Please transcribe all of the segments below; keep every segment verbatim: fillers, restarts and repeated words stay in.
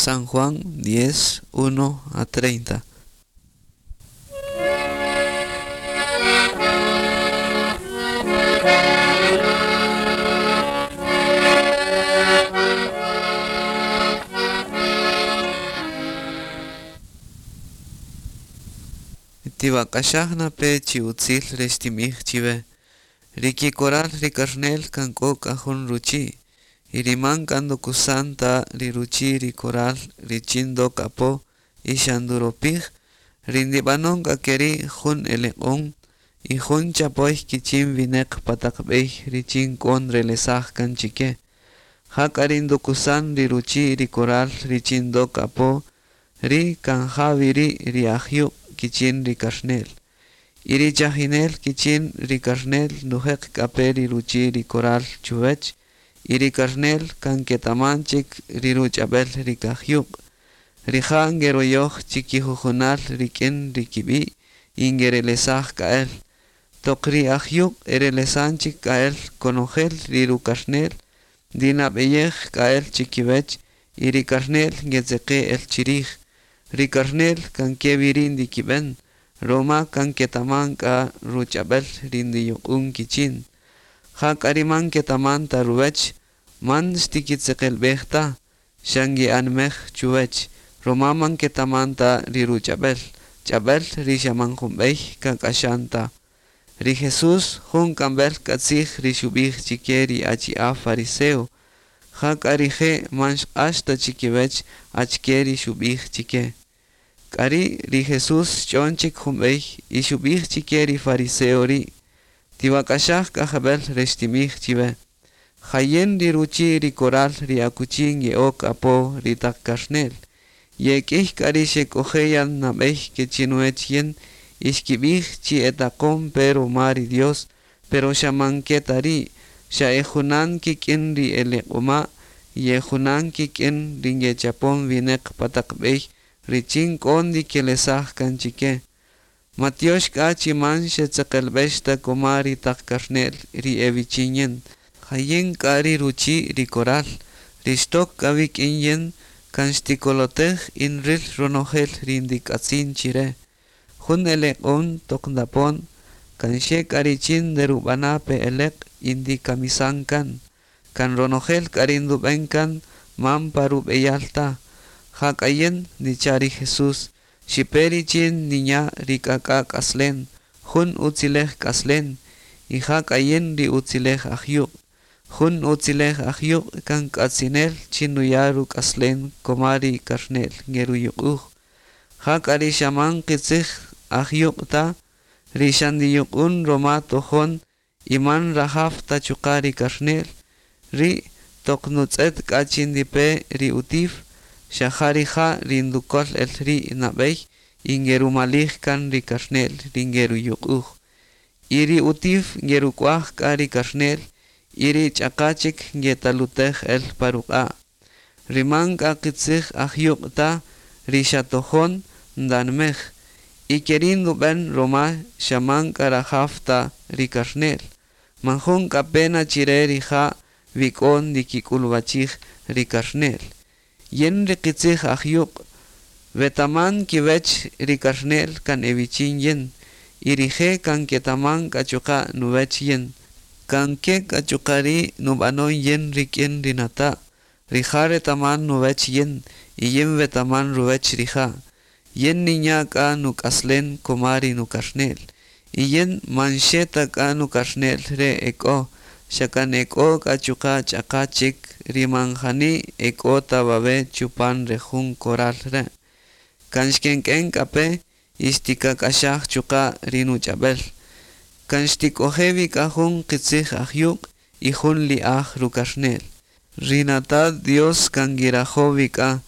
San Juan diez, uno a treinta. Tiwak'axaj pe chi utzil rextimij chiwe. Riki koral rikarnel kan k'o k'a jun ruchi'. Y riman kan ndukusan ta ri ruchi' ri koral richin ndok apo y xa nduropij, ri ndib'anun k'a keri' jun eleq'on y jun chapoy kichin wineq pa taq b'ey richin k'o nrelesaj kan chike. Jak'a ri ndukusan ri ruchi' ri koral richin ndok apo, ri kan ja wi ri' ri ajyuq' kichin ri karnel. Y ri chajinel kichin ri karnel ndujeq k'a pe ri ruchi' ri koral chuwech, y ri karnel kan ketaman chik ri ruch'ab'el ri kajyuq'. Rija' ngeroyoj chikijujunal rik'in ri kib'i' y ngerelesaj k'a'el. Toq ri ajyuq' erelesan chik k'a'el konojel ri rukarnel, ndinab'eyej k'a'el chikiwech y ri karnel ngetzeqe' el chirij. Ri karnel kan ke wi ri' ndikib'en, roma kan ketaman k'a ruch'ab'el ri ndiyuq'un kichin. Jak'a ri man ketaman ta ruwech, man xtikitzeqelb'ej ta, xa nge'anmej chuwech, roma man ketaman ta ri ruch'ab'el, ch'ab'el ri xa man jumb'ey kak'axan ta. Ri Jesús jun k'amb'el k'atzij ri xub'ij chike ri achi'a' fariseo. Jak'a rije' man xq'ax ta chikiwech achike ri xub'ij chike. K'ari' ri Jesús xch'on chik jumb'ey y xub'ij chike ri fariseo ri'. Tiwak'axaj k'a jeb'el rextimij chiwe. Jayen ri ruchi' ri koral ri akuchi nge'ok apo ri taq karnel. Yek'ij k'a ri xek'oje' yan nab'ey ke chinuwech yin y xkib'ij chi etaqon pe roma ri Dios, pero xa man ke ta ri', xa ejunan kik'in ri eleq'oma' y ejunan kik'in ri ngechapon wineq pa taq b'ey richin k'o ndikelesaj kan chike. Matiox k'a chi man xetzeqelb'ex ta koma ri taq karnel ri ewichin yin. Jayen k'a ri ruchi' ri koral, ri xtok k'a wik'in yin kan xtikolotej y nril ronojel ri ndik'atzin chire. Jun eleq'on toq ndapon, kan xe k'a richin nderub'ana' pe eleq' y ndikamisan kan. Kan ronojel k'a ri ndub'en kan man pa rub'eyal ta. Jak'a yin ndicha' ri Jesús, xipe richin ninya' ri k'ak'a' k'aslen, jun utzilej k'aslen, y jak'a yin ri utzilej ajyuq'. Jun utzilej ajyuq' kan k'atzinel chi nuya' ruk'aslen koma ri karnel ngeruyuq'uj. Jak'a ri xa man qitzij ajyuq' ta, ri xa ndiyuq'un roma tojon y man rajaw ta chuqa' ri karnel, ri' toq nutz'et k'a chi ndipe ri utif, xa ja rija' ri ndukol el ri' nab'ey y ngerumalij kan ri karnel ri ngeruyuq'uj. Y ri utif ngeruk'uaj k'a ri karnel y ri ch'aqa chik ngetalutej el pa ruq'a'. Ri man k'a qitzij ajyuq' ta, ri xa tojon ndanmej. Y keri' ndub'en roma xa man k'a rajaw ta ri karnel. Man jun k'a pena chire rija' wi k'o ndikik'ulwachij ri karnel. Yin ri qitzij ajyuq', wetaman kiwech ri karnel kan ewichin yin, y rije' kan ketaman k'a chuqa' nuwech yin. Kan ke k'a chuqa' ri' nub'anon yin rik'in ri nata', rija' retaman nuwech yin, y yin wetaman ruwech rija'. Yin ninya' k'a nuk'aslen koma ri nukarnel. Y yin man xe ta k'a nukarnel re ek'o, xa kan ek'o k'a chuqa' ch'aqa chik ri man jani ek'o ta wawe' chupan re jun koral re'. Kan xkenk'en k'a pe y xtikak'axaj chuqa' ri nuch'ab'el. Kan xtik'oje' wi k'a jun qitzij ajyuq' y jun li'aj rukarnel. Ri nata' Dios kan ngirajo' wi k'a,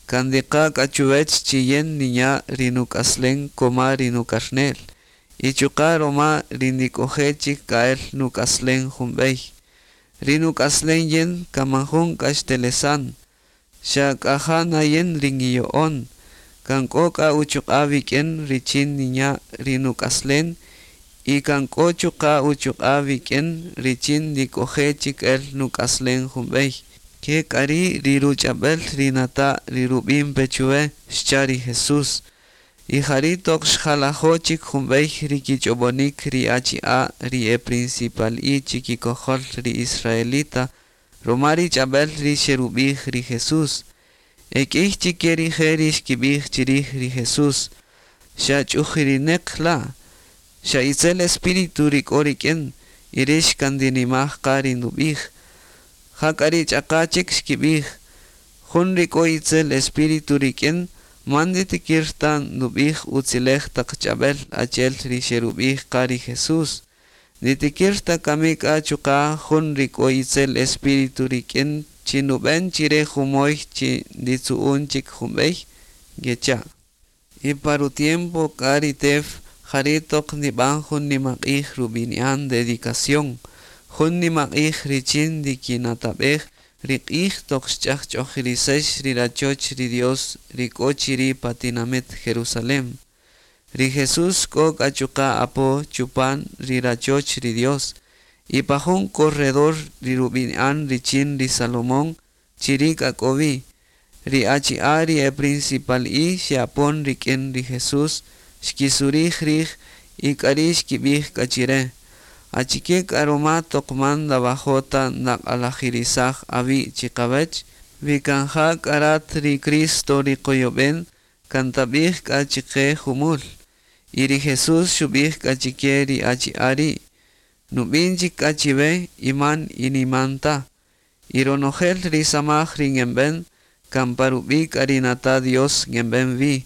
kan ndiqa' k'a chuwech chi yin ninya' ri nuk'aslen koma ri nukarnel. Y chuqa' roma ri ndik'oje' chik k'a'el nuk'aslen jumb'ey. Ri nuk'aslen yin kan man jun k'a xtelesan, xa k'a ja na yin ri ngiyo'on. Kan k'o k'a uchuq'a' wik'in richin ninya' ri nuk'aslen y kan k'o chuqa' uchuq'a' wik'in richin ndik'oje' chik el nuk'aslen jumb'ey. Ke k'a ri' ri ruch'ab'el ri nata' ri rub'in pe chuwe, xcha' ri Jesús. Y jari' toq xjalajo' chik jun b'ey ri kich'ob'onik ri achi'a' ri e principal'i chikikojol ri israelita ruma ri ch'ab'el ri xerub'ij ri Jesús. E k'iy chike rije' ri xkib'ij chirij ri Jesús: Xa ch'ujirineq la', xa itzel espíritu ri k'o rik'in, y rix kan ndinimaj qa ri ndub'ij. Jak'a ri ch'aqa chik xkib'ij: Jun ri k'o itzel espíritu rik'in, man nditikir ta ndub'ij utzilej taq ch'ab'el achel ri xerub'ij qa ri Jesús. Nditikir ta kami k'a chuqa' jun ri k'o itzel espíritu rik'in chi ndub'en chire jumoy chi nditzu'un chik jumb'ey? Ngecha'. Y pa ru-tiempo k'a ri tew, jari' toq ndib'an jun nimaq'ij rub'ini'an dedicación, jun nimaq'ij richin ndikinatab'ej ri q'ij toq xch'ajch'ojirisex ri rachoch ri Dios ri k'o chiri' pa tinamit Jerusalén. Ri Jesús k'o k'a chuqa' apo chupan ri rachoch ri Dios, y pa jun corredor ri rub'ini'an richin ri Salomón, chiri' k'a k'o wi. Ri achi'a' ri e principal'i xe'apon rik'in ri Jesús, xkisurij rij y k'ari' xkib'ij k'a chire: Achike k'a ruma toq man ndawajo' ta ndaq'alajirisaj awi' chiqawech? Wi kan ja k'a rat ri Cristo ri qoyob'en, kan tabij k'a chiqe jumul. Y ri Jesús xubij k'a chike ri achi'a' ri': Nubin chik k'a chiwe y man iniman ta. Y ronojel ri samaj ri ngenben, kan pa rubi' k'a ri nata' Dios ngenben wi.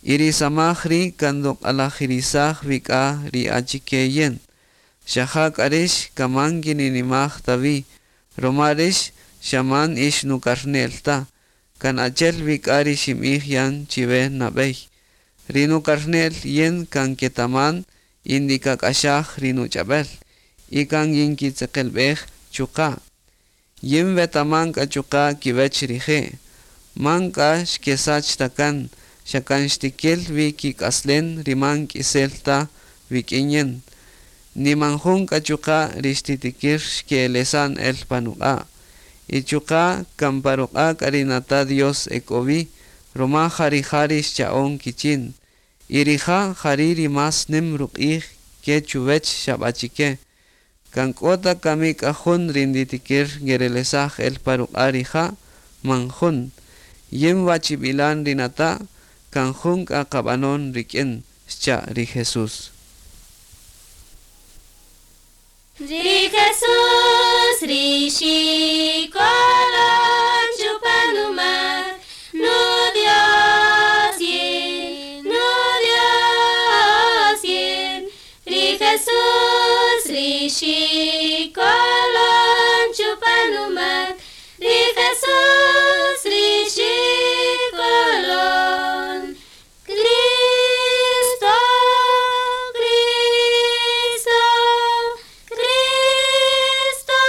Y ri samaj ri' kan nduq'alajirisaj wi k'a ri achike yin. Xa ja k'a rix kan man ngininimaj ta wi, roma rix xa man ix nukarne'l ta, kan achel wi k'a ri xinb'ij yan chiwe nab'ey. Ri nukarne'l yin kan ketaman y ndikak'axaj ri nuch'ab'el, y kan nginkitzeqelb'ej chuqa'. Yin wetaman k'a chuqa' kiwech rije'. Man k'a xkesach ta kan, xa kan xtikil wi kik'aslen ri man k'isel ta wik'in yin. Ni man jun k'a chuqa' ri xtitikir xke'elesan el pa nuq'a'. Y chuqa' kan pa ruq'a' k'a ri nata' Dios ek'o wi, roma ja rija' ri xcha'on kichin. Y rija' jari' ri más nim ruq'ij ke chuwech xab'achike. Kan k'o ta kami k'a jun ri nditikir ngerelesaj el pa ruq'a' rija', man jun. Yin wachib'ilan ri nata', kan jun k'a qab'anon rik'in, xcha' ri Jesús. Ri Jesús ri xikolon chupan numak, nu Dios yin, nu Dios yin. Ri Jesús ri xikolon chupan numak, ri Jesús ri xikolon. Cristo, Cristo, Cristo,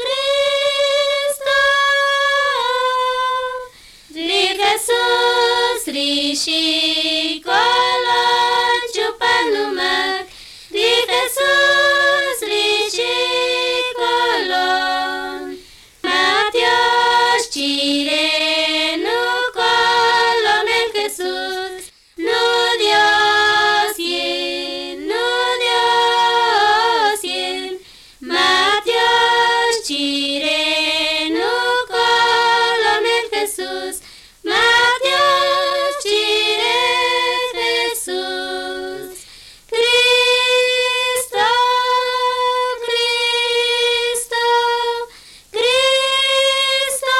Cristo. Ri Jesús ri xikolon chupan numak, ri Jesús ri xikolon. Matios chire nukolon el Jesús, nu Dios yin, nu Dios yin. Matios chire nukolon el Jesús, Matios chire Jesús. Cristo, Cristo, Cristo,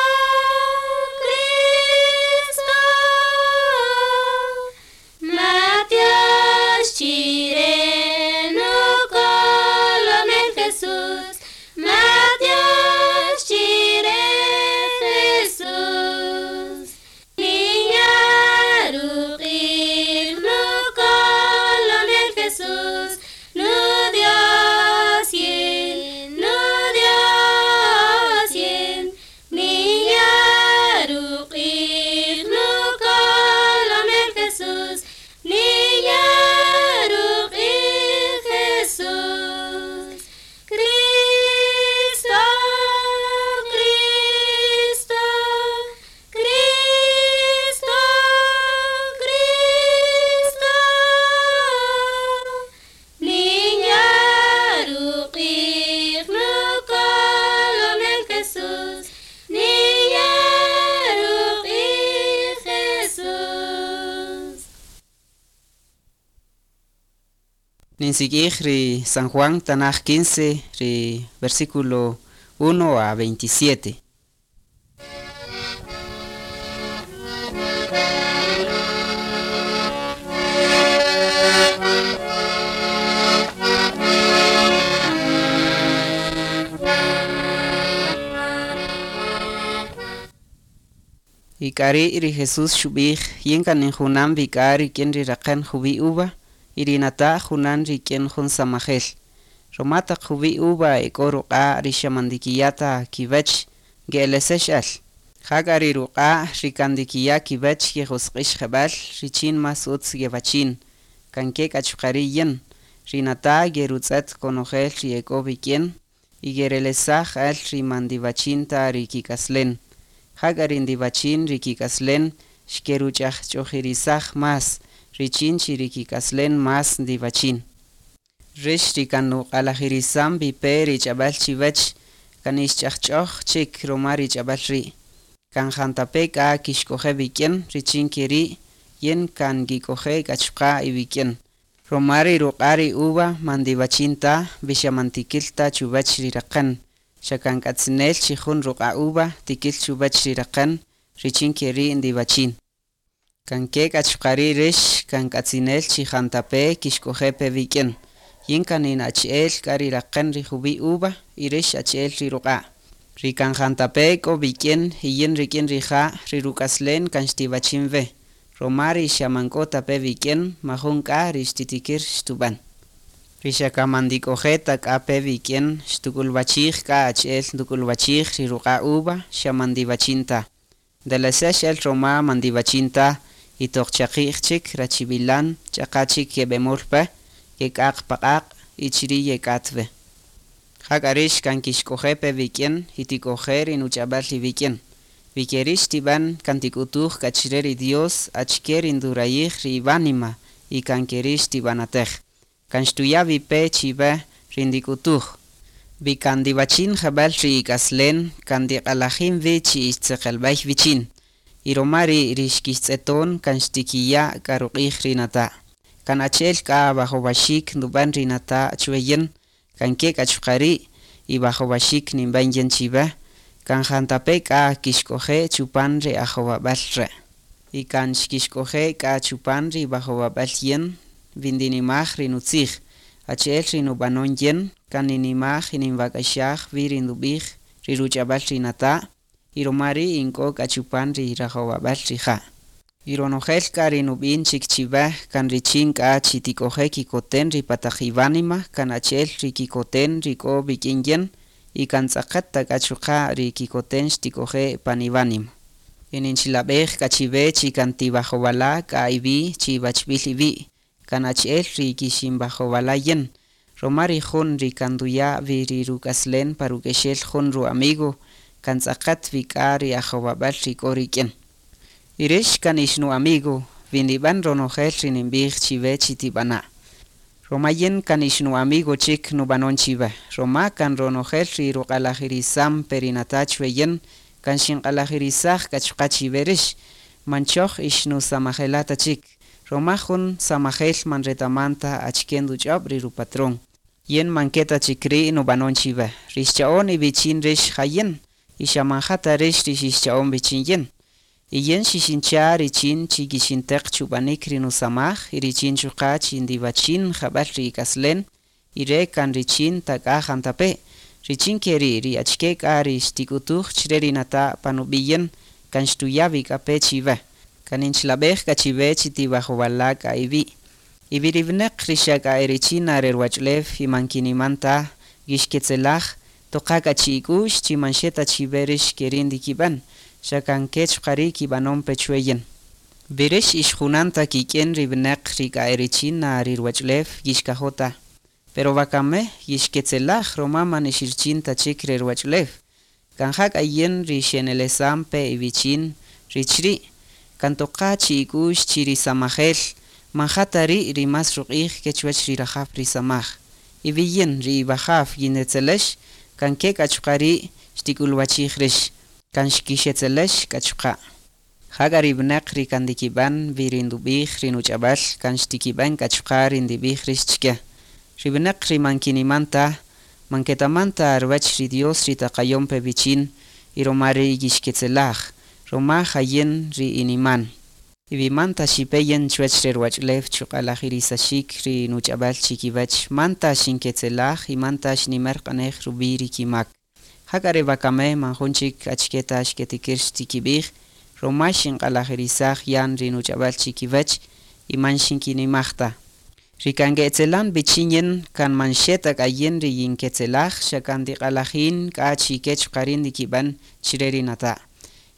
Cristo. Matios chire nukolon el Jesús, Matios chire Jesús. Niña Ninsik'ij ri San Juan Tanaj quince, ri versículo uno a veintisiete. Y k'ari' ri Jesús xub'ij yin kan injunan vik'a rik'in ri raqän juwi uva y ri nata' junan rik'in jun samajel. Roma taq juwi uva ek'o ruq'a' ri xa man ndikiya' ta kiwech nge'elesex äl. Jak'a ri ruq'a' ri kan ndikiya' kiwech yejosq'ix jeb'ël richin más utz yewachin. Kan ke k'a chuqa' ri' yin, ri nata' yerutz'ët konojel ri ek'o vik'in y yerelesaj äl ri man ndiwachin ta ri kik'aslen. Jak'a ri ndiwachin ri kik'aslen xkeruch'ajch'ojirisaj más, richin chi ri kik'aslen más ndiwachin. Rix ri kan nuq'alajirisam vipe ri ch'ab'äl chiwech, kan ixch'ajch'oj chik roma ri ch'ab'äl ri'. Kan jantape' k'a kixk'oje' vik'in richin keri' yin kan ngik'oje' k'a chuqa' iwik'in. Roma ri ruq'a' ri uva man ndiwachin ta, vi xa man tikil ta chuwech ri raqän. Xa kan k'atzinel chi jun ruq'a' uva tikil chuwech ri raqän richin keri' ndiwachin. Kan ke k'a chuqa' ri' rix kan k'atzinel chi jantape' kixk'oje' pe vik'in. Yin kan in achi'el k'a ri raqän ri juwi uva y rix achi'el ri ruq'a'. Ri kan jantape' k'o vik'in y yin rik'in rija' ri ruk'aslen kan xtiwachin we. Roma ri xa man k'o ta pe vik'in majun k'a ri xtitikir xtub'än. Ri xa kan man ndik'oje' ta k'a pe vik'in xtuk'ulwachij k'a achi'el nduk'ulwachij ri ruq'a' uva xa man ndiwachin ta. Ndelesex el roma man ndiwachin ta y toq chaqi'j chik rachib'ilan ch'aqa chik yeb'emol pe yek'aq paq'aq' y chiri' yek'at we. Jak'a rix kan kixk'oje' pe vik'in y tik'oje' ri nuch'ab'äl iwik'in. Vikeri' xtib'än kan tik'utuj k'a chire ri Dios achike ri ndurayij ri iwánima y kan keri' xtib'anatej. Kan xtuya' vipe chiwe ri ndik'utuj. Vi kan ndiwachin jeb'ël ri ik'aslen kan ndiq'alajin wi chi ixtzeqelb'ey wichin. Y roma ri' ri xkixtz'eton kan xtikiya' k'a ruq'ij ri nata'. Kan achi'el k'a wajowaxik ndub'än ri nata' chwe yin, kan ke k'a chuqa' ri' y wajowaxik ninb'än yin chiwe, kan jantape' k'a kixk'oje' chupan ri ajowab'äl re'. Y kan xkixk'oje' k'a chupan ri wajowab'äl yin, vi ndinimaj ri nutzij. Achi'el ri nub'anon yin, kan ninimaj y ninwak'axaj wi ri ndub'ij ri ruch'ab'äl ri nata', y roma ri' ink'o k'a chupan ri rajowab'äl rija'. Y ronojel k'a ri nub'in chik chiwe kan richin k'a chi tik'oje' kikoten ri pataq iwánima, kan achi'el ri kikoten ri k'o vik'in yin, y kan tz'aqet ta k'a chuqa' ri kikoten xtik'oje' pan iwánima. Y ninchilab'ej k'a chiwe chi kan tiwajowala' k'a iwi' chi iwachb'il iwi', kan achi'el ri kixinwajowala' yin. Roma ri jun ri kan nduya' wi ri ruk'aslen pa ruk'exel jun ru-amigo, kan tz'aqet wi k'a ri ajowab'äl ri k'o rik'in. Y rix kan ix nu-amigo, vi ndib'än ronojel ri ninb'ij chiwe chi tib'ana'. Roma yin kan ix nu-amigo chik nub'anon chiwe. Roma kan ronojel ri ruq'alajirisam pe ri nata' chwe yin, kan xinq'alajirisaj k'a chuqa' chiwe rix. Man choj ix nusamajela' ta chik. Roma jun samajel man retaman ta achike nduch'ob' ri rupatrón. Yin man ke ta chik ri' nub'anon chiwe. Rix cha'on iwichin rix ja yin, y xa man ja ta rix ri xixcha'on wichin yin. Y yin xixincha' richin chi kixinteq chub'anik ri nusamaj y richin chuqa' chi ndiwachin jeb'ël ri ik'aslen y re' kan richin ta k'a jantape'. Richin keri' ri achike k'a ri xtik'utuj chire ri nata' pan ub'i' yin kan xtuya' wi k'a pe chiwe. Kan ninchilab'ej k'a chiwe chi tiwajowala' k'a iwi'. Y vi ri winäq ri xa k'a e richin na re ruwach'ulew y man kiniman ta yixketzelaj, toqa k'a chi ik'u'x chi man xe ta chiwe rix keri' ndikib'än, xa kan ke chuqa' ri' kib'anon pe chwe yin. Vi rix ixjunan ta kik'in ri winäq ri k'a e richin na ri ruwach'ulew yixkajo' ta. Pero wakame yixketzelaj roma man ixirichin ta chik re ruwach'ulew. Kan ja k'a yin ri xenelesam pe iwichin ri chiri', kan toqa chi ik'u'x chi ri samajel, man ja ta ri' ri más ruq'ij ke chuwech ri rajaw ri samaj. Y vi yin ri iwajaw yinetzelex, kan ke k'a chuqa' ri' xtik'ulwachij rix, kan xkixetzelex k'a chuqa'. Jak'a ri winäq ri kan ndikib'än wi ri ndub'ij ri nuch'ab'äl, kan xtikib'än k'a chuqa' ri ndib'ij rix chike. Ri wineq ri man kiniman ta, man ketaman ta ruwech ri Dios ri taqayon pe wichin y roma ri yixketzelaj, roma jayin ri iniman. Y wi man ta xipe yin chuwech re ruwach'ulew chuq'alajirisaxik ri nuch'ab'al chikiwach, man ta xinketzelaj y man ta xnimer q'anej rub'i' ri kimak. Jak'a re wakame man jun chik achike ta xketikir xtikib'ij, roma xinq'alajirisaj yan ri nuch'ab'al chikiwach y man xinkinimaj ta. Ri kan ketzelan wichin yin kan man xe ta k'a yin ri yinketzelaj, xa kan tiq'alajin k'a chike chuqa' ri ndikib'an chire ri nata'.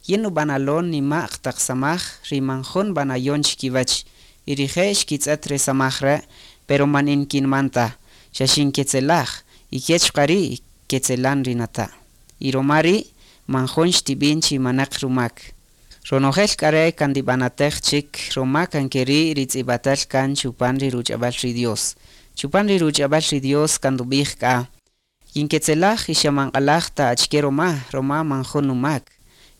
Yin nub'analon nima'q taq samaj ri man jun b'anayon chikiwach, y rije' xkitz'et re samaj re', pero man inkinman ta, xa xinketzelaj, y ke chuqa' ri' ketzelan ri nata'. Y roma ri' man jun xtib'in chi manaq rumak. Ronojel k'a re' kan ndib'anatej chik roma kan keri' ri tz'ib'atal kan chupan ri ruch'ab'al ri Dios. Chupan ri ruch'ab'al ri Dios kan ndub'ij k'a, yinketzelaj y xa man q'alaj ta achike roma, roma man jun numak.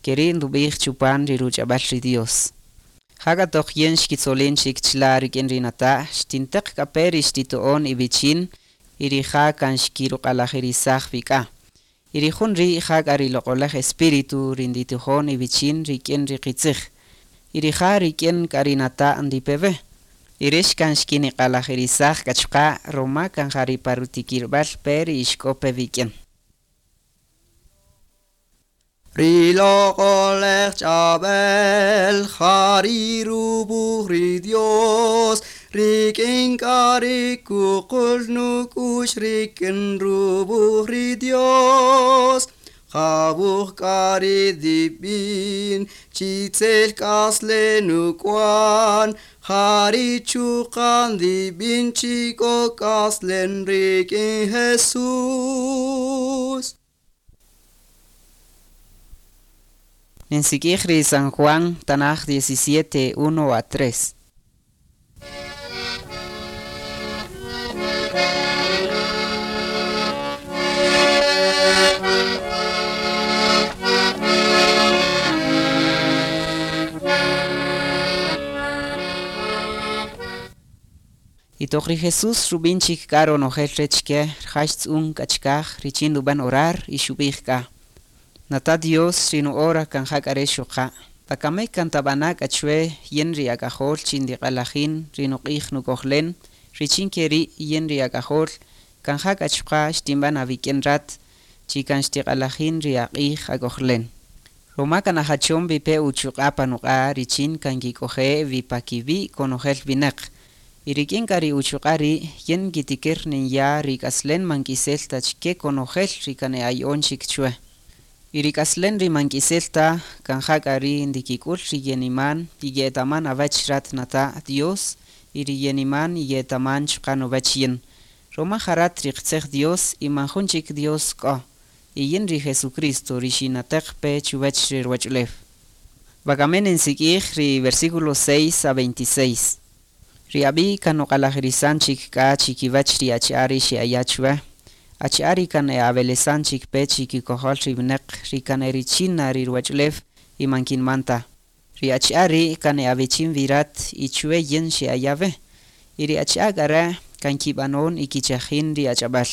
Keri' ndub'ij chupan ri ruch'ab'al ri Dios. Jak'a toq yin xkitzolin chik chila' rik'in ri nata', xtinteq k'a pe ri xtito'on iwichin y rija' kan xkiruq'alajirisaj wik'a. Y ri jun ri' jak'a ri loq'olaj Espíritu ri nditijon iwichin rik'in ri qitzij. Y rija' rik'in k'a ri nata' ndipewe. Y rix kan xkiniq'alajirisaj k'a chuqa' roma kan ja ri pa rutikirb'al pe ri ixk'o pe wik'in. Ri loq'olej ch'ab'el jari rubuj ri Dios, rik'in k'a ri kuqul nuk'ux rik'in rubuj ri Dios. Jabuj k'a ri dib'in, chitzel k'asle nuk'wan, jari chuqan dib'in chik'o k'aslen rik'in Jesús. Ninsik'ij ri San Juan, Tanaj diecisiete, uno a tres. Y toq ri Jesús rub'in chik k'a ronojel re chike, rija' xtz'un k'a chikaj richin rub'an orar y xub'ij k'a. Nata Dios ri nuhora kan jak'a re xuqa'. Pakame kan tab'ana' k'a chwe yin ri ak'ajol chin ndiq'alajin ri nuq'ij nuk'ojlen, richin keri' yin ri ak'ajol kan jak'a chuqa' xtinb'an awik'in rat chi kan xtiq'alajin ri aq'ij ak'ojlen. Roma kan ajachon wipe uchuq'a' panuq'a' richin kan kik'oje' wipakiwi' konojel winaq. Y rik'in k'a ri uchuq'a' ri' yin kitikir ninya' ri k'aslen man k'isel ta chike konojel ri kan e'aya'on chik chwe. Y ri k'aslen ri man k'isel ta kan jak'a ri ndikik'ul ri yeniman y ye'etaman awach rat nata' Dios y ri yeniman y ye'etaman chuqa' nuwach yin. Roma jarat ri qtzej Dios y man jun chik Dios k'o. Y yin ri Jesucristo ri xinateq pe chuwach ri ruwach'ulew. Wakamen ninsik'ij ri versículo seis a veintiséis. Ri ab'i' kan nuq'alajirisan chik k'a chikiwach ri achi'a' ri xe'aya' chwe. Achi'a' ri kan e'awelesan chik pe chikikojol ri winaq ri kan erichin na ri ruwach'ulew y man kinman ta. Ri achi'a' ri' kan e'awichin wi rat y chwe yin xe'aya' we. Y ri achi'a' k'a re' kan kib'anon y kichajin ri ach'ab'al.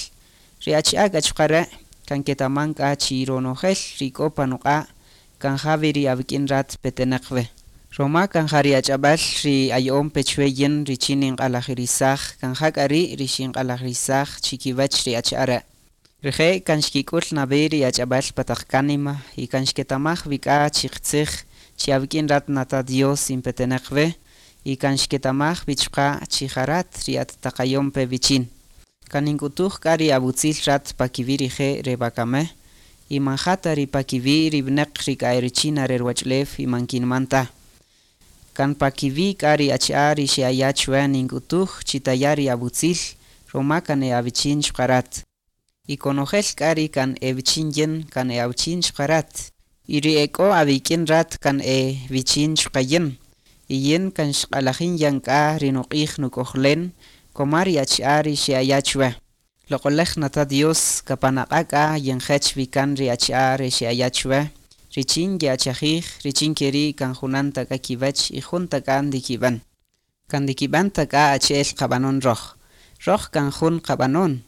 Ri achi'a' k'a chuqa' re' kan ketaman k'a chi ronojel ri k'o panuq'a' kan ja wi ri awik'in rat petenaq we. Roma kan ja ri ach'ab'al ri aya'on pe chwe yin richin ninq'alajirisaj kan jak'a ri' ri xinq'alajirisaj chikiwach ri achi'a' re'. Rije' kan xkik'ul nab'ey ri ach'ab'al pa taq kánima y kan xketamaj wi k'a chi qitzij chi awik'in rat nata Dios inpetenaq we y kan xketamaj wi chuqa' chi jarat ri at taqayon pe wichin. Kan nink'utuj k'a ri awutzil rat pakiwi' rije' re wakame y man ja ta ri pakiwi' ri winaq ri k'a erichin na re ruwach'ulew y man kinman ta. Kan pakiwi' k'a ri achi'a' ri xe'aya' chwe nink'utuj chi taya' ri awutzil roma kan e'awichin chuqa' rat. Y konojel k'a ri kan ewichin yin kan e'awichin chuqa' rat. Y ri ek'o awik'in rat kan ewichin chuqa' yin. Y yin kan xq'alajin yan k'a ri nuq'ij nuk'ojlen koma ri achi'a' ri xe'aya' chwe. Loq'olej nata Dios kapanaq'a' k'a yenjech wi kan ri achi'a' ri xe'aya' chwe. Richin ye'achajij, richin keri' kan junan ta k'a kiwach y jun ta k'a ndikib'an. Kan ndikib'an ta k'a achi'el qab'anon roj. Roj kan jun qab'anon,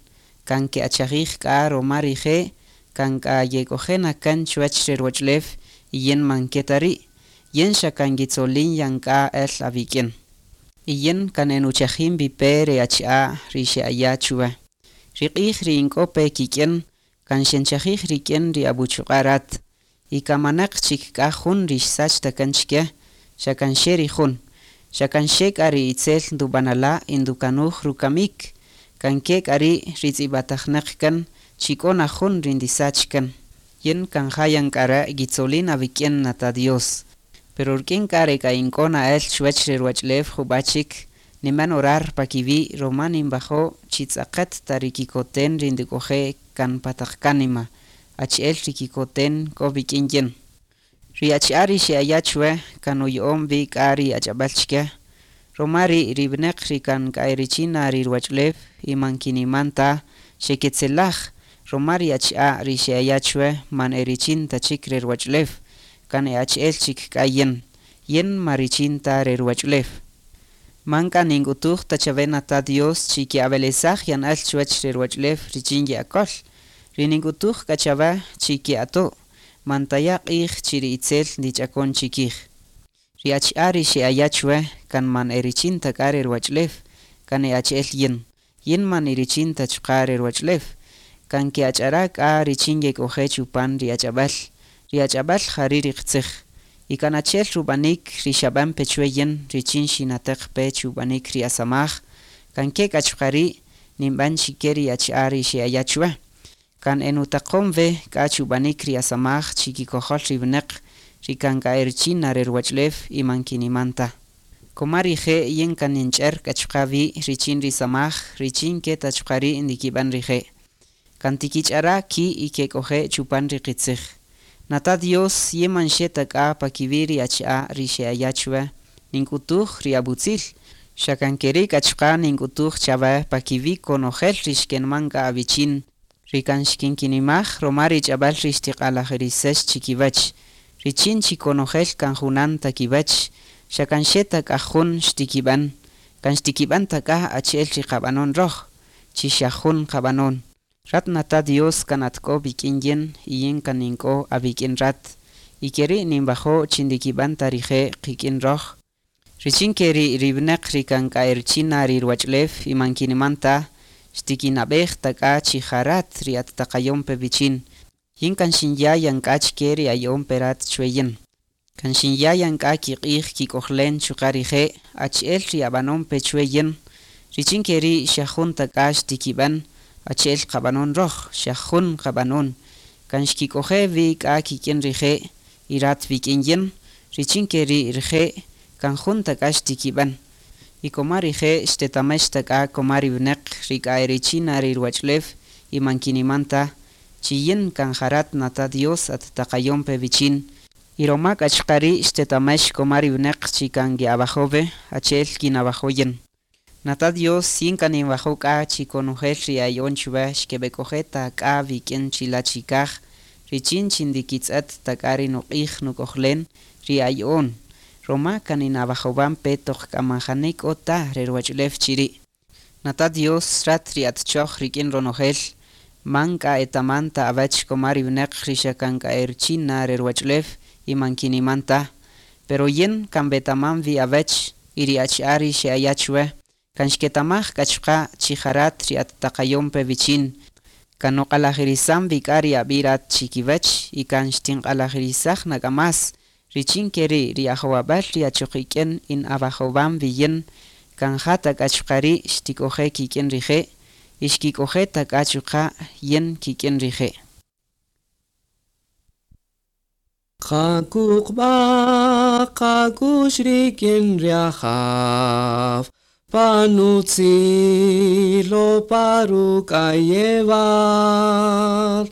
kan ke'achajij k'a roma rije', kan k'a yek'ojena kan chuwach re ruwach'ulew y yin man ke ta ri', yin xa kan yitzolin yan k'a el awik'in. Y yin kan enuchajin vipe re achi'a ri xe'aya chuwe. Ri q'ij ri ink'o pe kik'in, kan xenchajij rik'in ri abuchuq'a' rat. Y kamanaq chik k'a jun ri xsach ta kan chike, xa kan xe ri jun. Xa kan xe k'a ri itzel ndub'anala' y ndukanuj rukamik. Kan ke k'a ri' ri tz'ib'atajnaq kan, chi k'o na jun ri ndisach kan. Yin kan jayan k'a re' yitzolin awik'in nata Dios. Pero rik'in k'a re k'a ink'o na'el chuwach re ruwach'ulew jub'a' chik, niman orar pa kiwi' roma ninwajo' chi tz'aqet ta ri kikoten ri ndik'oje' kan pa taq kánima, achi'el ri kikoten k'o wik'in yin. Ri achi'a' ri xe'aya' chuwe kan nuya'on wi k'a ri ach'ab'äl chike. Roma ri' ri wineq ri kan k'a richin na ri ruwach'ulew y man kiniman ta, xeketzelaj, roma ri achi'a' ri xe'aya' chuwe man e richin ta chik re ruwach'ulew, kan e achi'el chik k'a yin, yin ma richin ta re ruwach'ulew. Man k'a nink'utuj ta chawe nata Dios chi ke'awelesaj yan el chuwach re ruwach'ulew richin ye'akol. Ri nink'utuj k'a chawe chi ke'ato', man taya' q'ij chi ri itzel ndich'akon chikij. Ri achi'a' ri xe'aya' chuwe kan man e richin ta k'a re ruwach'ulew, kan e achi'el yin. Yin man e richin ta chuqa' re ruwach'ulew. Kan ke'ach'ara' k'a richin yek'oje' chupan ri ach'ab'äl. Ri ach'ab'äl jari' ri qitzij. Y kan achi'el rub'anik ri xab'an pe chuwe yin richin xinateq pe chub'anik ri asamaj, kan ke k'a chuqa' ri' ninb'an chike ri achi'a' ri xe'aya' chuwe. Kan enutaqon we k'a chub'anik ri asamaj chikikojol ri wineq ri kan k'a e richin na re ruwach'ulew y man kiniman ta. Koma rije' yin kan ninch'er k'a chuqa' wi' richin ri samaj richin ke ta chuqa' ri' ndikib'an rije'. Kan tikich'ara' ki' y kek'oje' chupan ri qitzij. Nata Dios yin man xe ta k'a pa kiwi' ri achi'a' ri xe'aya' chuwe, nink'utuj ri abutzil. Xa kan keri' k'a chuqa' nink'utuj chawe pa kiwi' konojel ri xkenman k'a awichin, ri kan xkinkinimaj roma ri ch'ab'äl ri xtiq'alajirisex chikiwach. Richin chi konojel kan junan ta kiwach, xa kan xe ta k'a jun xtikib'an, kan xtikib'an ta k'a achi'el ri qab'anon roj, chi xa jun qab'anon. Rat nata Dios kan atk'o wik'in yin y yin kan nink'o awik'in rat. Y keri' ninwajo' chi ndikib'an ta rije' qik'in roj. Richin keri' ri wineq ri kan k'a e richin na ri ruwach'ulew y man kiniman ta, xtikinab'ej ta k'a chi ja rat ri attaqayon pe wichin. Yin kan xinya' yan k'a chike ri aya'on pe rat chuwe yin. Kan xinya' yan k'a kiq'ij kik'ojlen chuqa' rije' achi'el ri ab'anon pe chuwe yin. Richin keri' xa jun ta k'a xtikib'an, achi'el qab'anon roj, xa jun qab'anon. Kan xkik'oje' wi k'a kik'in rije' y rat wik'in yin, richin keri' rije' kan jun ta k'a xtikib'an. Y koma rije' xtetamex ta k'a koma ri wineq ri k'a e richin na ri ruwach'ulew y man kiniman ta, chi yin kan ja rat nata Dios attaqayon pe wichin. Y roma k'a chuqa' ri' xtetamex koma ri wineq chi kan ye'awajo' achi'el kinawajo' yin. Nata Dios yin kan ninwajo' k'a chi konojel ri aya'on chuwe xkeb'ek'oje' ta k'a wik'in chila' chikaj, richin chi ndikitz'et ta k'a ri nuq'ij nuk'ojlen ri aya'on. Roma kan ninawajowan pe toq k'a man jani k'o ta re ruwach'ulew chiri'. Nata Dios rat ri atchoj rik'in ronojel, man k'a etaman ta awach koma ri wineq ri xa kan k'a e richin na re ruwach'ulew y man kiniman ta. Pero yin kan wetaman wi awach y ri achi'a' ri xe'aya' chuwe, kan xketamaj k'a chuqa' chi ja rat ri attaqayon pe wichin. Kan nuq'alajirisan wi k'a ri ab'i' rat chikiwach y kan xtinq'alajirisaj na k'a más. Richin keri' ri ajowab'äl ri achoq ik'in in awajowan wi yin, kan ja ta k'a chuqa' ri' xtik'oje' kik'in rije' y xkik'oje' ta k'a chuqa' yin kik'in rije'. Qakuqba qakushrikin riajaf, panutzilo parukayeval,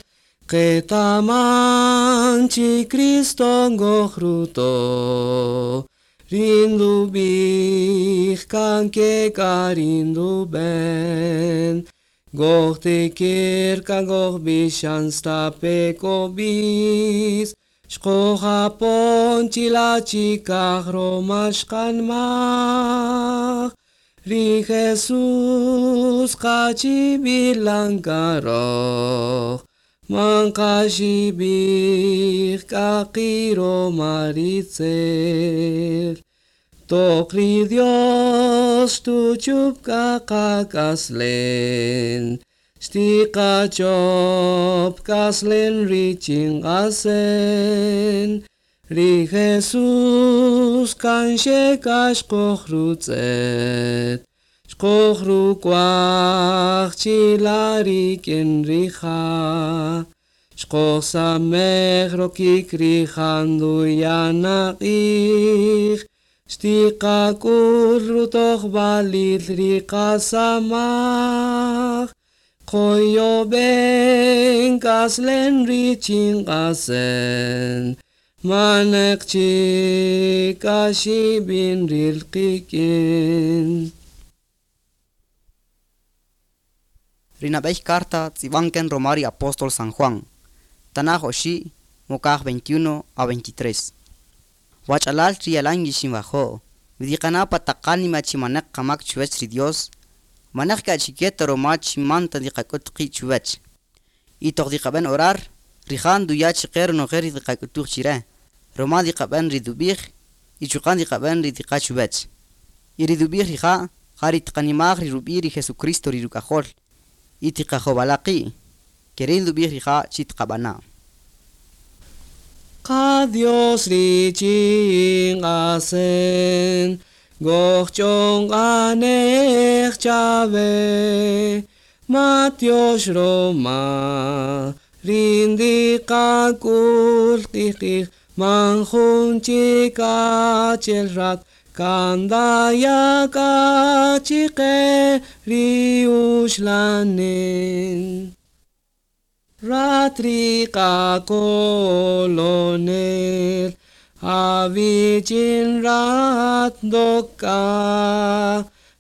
qetaman chi Cristo ngojruto, rindubij kan ke karinduben, goj tekir kan goj bishan stapekobis, xqojapon chila chikaj romashqanmaj, Ri Jesús kachibilankaroj man kashibij kakiro maritzel. Tokri Dios tu chup kakakaslen, stika chop kaslen richin asen. Ri Jesús kanxe kashkojrutzet, xkojrukuaj chilarikin rija, xkojsamej rokik rijanduyanaqij, xtiqakul rutoj balil riqasamaj, qoyoben kaslen richin qasen, manek chikashibin rilqikin. Rinabey carta tzibanken Romari Apóstol San Juan. Tanaj oxi, mokaj veintiuno a veintitrés. Wachalal rialan yishinbajo, vidiqana pataqanima chimanek qamak chuwech ri Dios, manek ka chiqueta roma chimanta diqakutqi chuwech. Y toq diqaben orar, rijan duya chiqer nojer diqakutuj chire, roma diqaben ridubij, y chuqan diqaben ridiqa chuwech. Y ridubij rija, jari tqanimaj rirubi ri Jesucristo rirukajol, y tiqajobalaqi, kerin dubij rija chitqabana. Ka Dios richin asen, gochon anej chave, Matios Roma, rindi kakul qijqij, manjun chikachelrat, kandaya kachiqe riushlanen. Ratrika kolonel, avichin rat doka,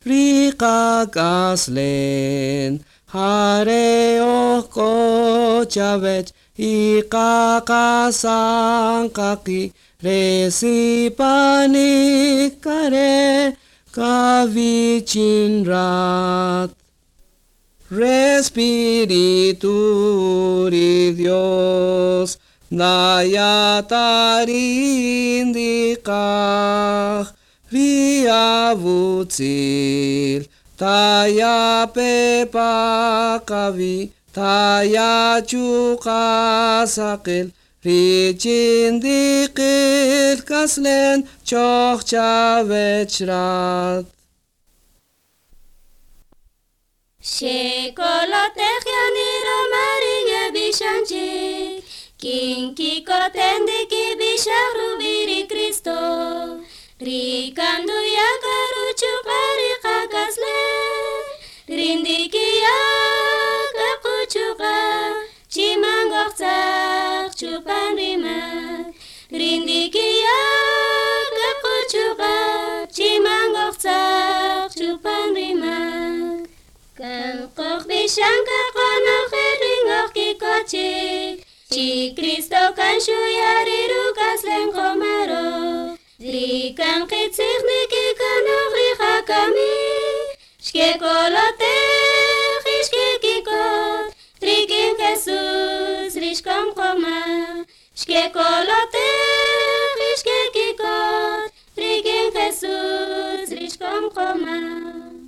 rika kaslen, hareo kochavech, ika kasan kaki, resipani kare, kavichin rat. Respiritu ri Dios, Nayatarindikaj, Riavutzil, Taya pepakavi, Taya chukasakil, Richindikil kaslen, Choch chavechrat. Shekolotej yaniro maringe bishanchi, Kinki kotendiki bisharubiri Cristo, Rikandu yakaruchu parikakasle, Rindiki yakakuchuka, Chimangokzak chupanrima, Rindiki yakakuchuka, Chimangokzak chupanrima. Kan bishanka kono kikochik, Chi Cristo kan shuyariru kaslen komaro, Rikan kitzigniki kano rihakami, Shke kolote shke kikot, Rikin Jesus rishkom koma, Shke kolote shke kikot, Rikin Jesus rishkom koma.